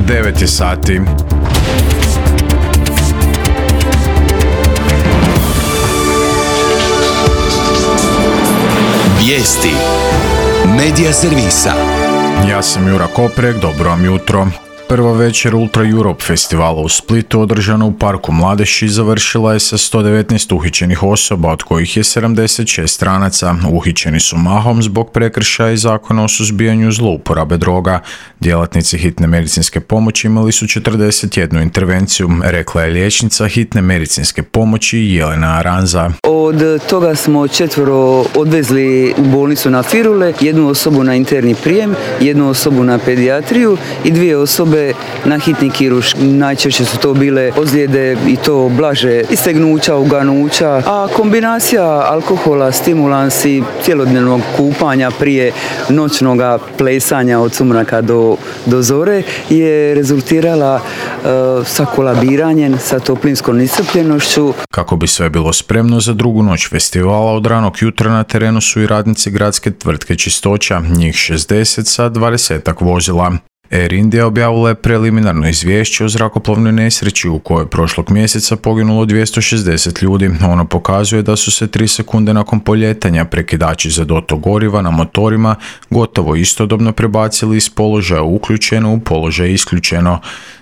9 je sati. Vijesti Medija servisa. Ja sam Jura Koprek, dobro vam jutro. Prva večer Ultra Europe festivala u Splitu, održana u Parku Mladeši, završila je sa 119 uhićenih osoba, od kojih je 76 stranaca. Uhićeni su mahom zbog prekršaja i zakona o suzbijanju zlouporabe droga. Djelatnici hitne medicinske pomoći imali su 41 intervenciju, rekla je liječnica hitne medicinske pomoći Jelena Aranza. Od toga smo 4 odvezli u bolnicu na Firule, 1 osobu na interni prijem, 1 osobu na pedijatriju i 2 osobe na hitni kirurški. Najčešće su to bile ozljede i to blaže istegnuća, uganuća, a kombinacija alkohola, stimulansi, cjelodnevnog kupanja prije noćnog plesanja od sumraka do zore je rezultirala sa kolabiranjem, sa toplinskom iscrpljenošću. Kako bi sve bilo spremno za drugu noć festivala, od ranog jutra na terenu su i radnici gradske tvrtke Čistoća, njih 60 sa 20-ak vozila. Air India objavila je preliminarno izvješće o zrakoplovnoj nesreći u kojoj je prošlog mjeseca poginulo 260 ljudi. Ono pokazuje da su se 3 sekunde nakon poljetanja prekidači za dotok goriva na motorima gotovo istodobno prebacili iz položaja uključeno u položaj isključeno.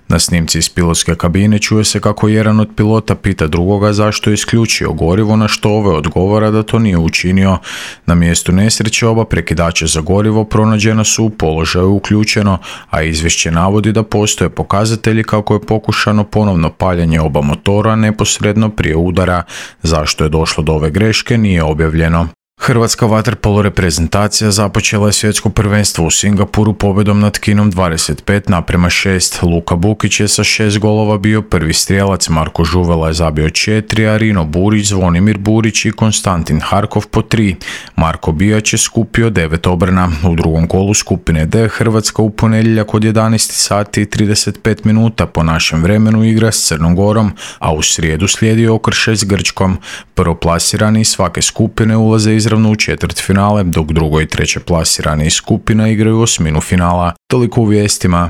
Na snimci iz pilotske kabine čuje se kako jedan od pilota pita drugoga zašto je isključio gorivo, na što ovaj odgovara da to nije učinio. Na mjestu nesreće oba prekidača za gorivo pronađena su u položaju uključeno, a izvješće navodi da postoje pokazatelji kako je pokušano ponovno paljenje oba motora neposredno prije udara. Zašto je došlo do ove greške nije objavljeno. Hrvatska vaterpolo reprezentacija započela je svjetsko prvenstvo u Singapuru pobjedom nad Kinom 25-6. Luka Bukić je sa 6 golova bio prvi strijelac, Marko Žuvela je zabio 4, a Rino Burić, Zvonimir Burić i Konstantin Harkov po 3. Marko Bijać je skupio 9 obrana. U drugom kolu skupine D Hrvatska u ponedjeljak od 11 sati i 35 minuta po našem vremenu igra s Crnom Gorom, a u srijedu slijedi okršaj s Grčkom. Prvoplasirani iz svake skupine ulaze izravno u četvrtfinale, dok drugo i treće plasirani iz skupina igraju osminu finala. Toliko u vijestima.